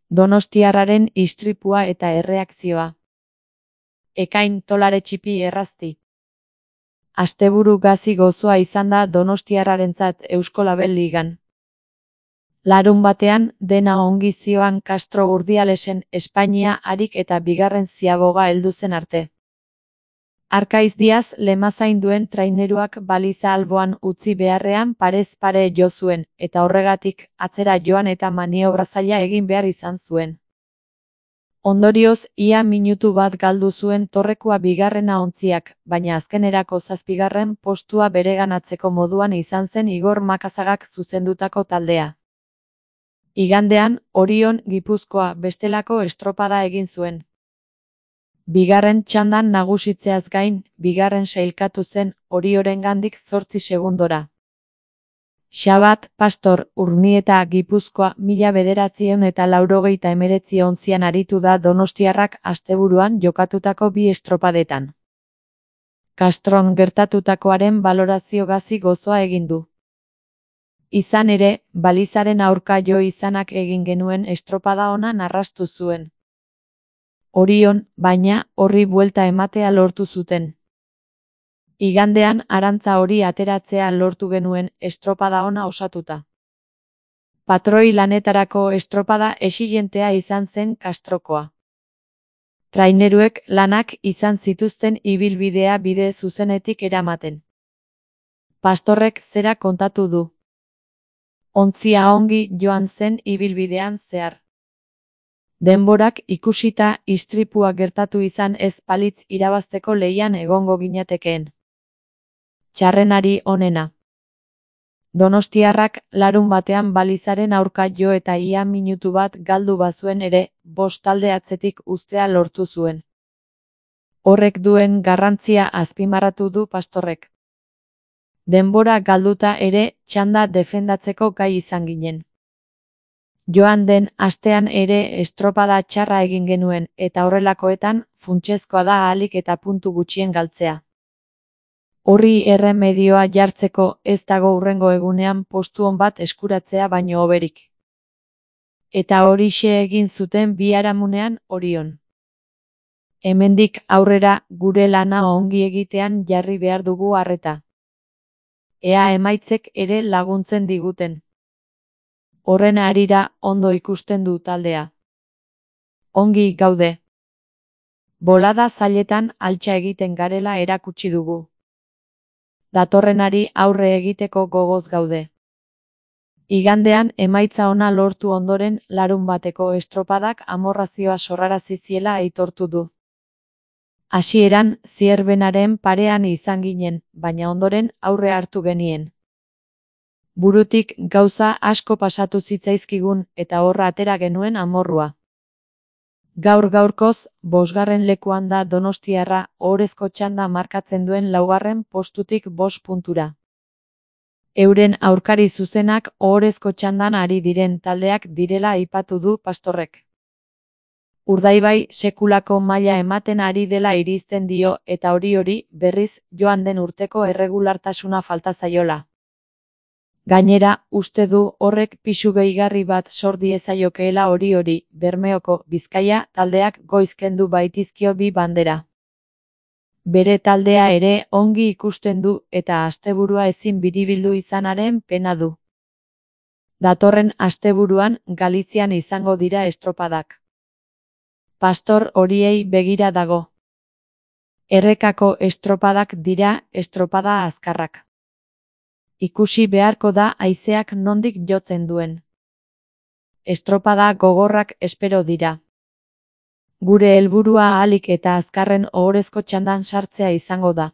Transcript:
Donostiarraren istripua eta erreakzioa. Ekain tolare txipi errazti. Asteburu gazi gozoa izan da donostiarrarentzat Eusko Label Ligan. Larunbatean dena ongi zioan Castro Urdialesen Espainia harik eta bigarren ziaboga heldu zen arte. Arkaiz Diaz lemazain duen traineruak baliza alboan utzi beharrean parez pare jo zuen, eta horregatik atzera joan eta maniobra zaila egin behar izan zuen. Ondorioz, ia minutu bat galdu zuen torrekua bigarrena ontziak, baina azkenerako zazpigarren postua bereganatzeko moduan izan zen Igor Makazagak zuzendutako taldea. Igandean, Orion Gipuzkoa bestelako estropada egin zuen. Bigarren txandan nagusitzeaz gain, bigarren sailkatu zen Oriorengandik 8 segundora. Xabat, Pastor, Urnieta, Gipuzkoa 1989 ontzian aritu da donostiarrak asteburuan jokatutako bi estropadetan. Castron gertatutakoaren balorazio gazi gozoa egin du. Izan ere, balizaren aurka jo izanak egin genuen estropada ona narrastu zuen. Orion, baina, horri buelta ematea lortu zuten. Igandean arantza hori ateratzea lortu genuen estropada ona osatuta. Patroi lanetarako estropada exilientea izan zen Castrokoa. Traineruek lanak izan zituzten ibilbidea bide zuzenetik eramaten. Pastorrek zera kontatu du. Ontzia ongi joan zen ibilbidean zehar. Denborak ikusita istripua gertatu izan ez palitz irabazteko lehian egongo ginatekeen. Txarrenari onena. Donostiarrak larunbatean balizaren aurka jo eta ia minutu bat galdu bazuen ere, 5 talde atzetik uztea lortu zuen. Horrek duen garrantzia azpimarratu du Pastorrek. Denbora galduta ere, txanda defendatzeko gai izan ginen. Joan den astean ere estropada txarra egin genuen, eta horrelakoetan, funtsezkoa da ahalik eta puntu gutxien galtzea. Horri erremedioa jartzeko ez dago hurrengo egunean postu on bat eskuratzea baino hoberik. Eta horixe egin zuten biharamunean Orion. Hemendik aurrera gure lana ongi egitean jarri behar dugu arreta. Ea emaitzek ere laguntzen diguten. Horren harira ondo ikusten du taldea. Ongi gaude. Bolada zailetan altxa egiten garela erakutsi dugu. Datorrenari aurre egiteko gogoz gaude. Igandean emaitza ona lortu ondoren larunbateko estropadak amorrazioa sorrarazi ziela aitortu du. Hasieran Zierbenaren parean izan ginen, baina ondoren aurre hartu genien. Burutik gauza asko pasatu zitzaizkigun eta horra atera genuen amorrua. Gaur-gaurkoz, 5. lekuan da donostiarra ohorezko txanda markatzen duen 4. postutik 5 puntura. Euren aurkari zuzenak ohorezko txandan ari diren taldeak direla aipatu du Pastorrek. Urdaibai sekulako maila ematen ari dela irizten dio eta hori berriz joan den urteko erregulartasuna falta zaiola. Gainera, uste du horrek pisu gehigarri bat sor diezaiokeela hori, Bermeoko Bizkaia taldeak goiz kendu baitizkio bi bandera. Bere taldea ere ongi ikusten du eta asteburua ezin biribildu izanaren pena du. Datorren asteburuan Galizian izango dira estropadak. Pastor horiei begira dago. Errekako estropadak dira estropada azkarrak. Ikusi beharko da haizeak nondik jotzen duen. Estropada gogorrak espero dira. Gure helburua ahalik eta azkarren ohorezko txandan sartzea izango da.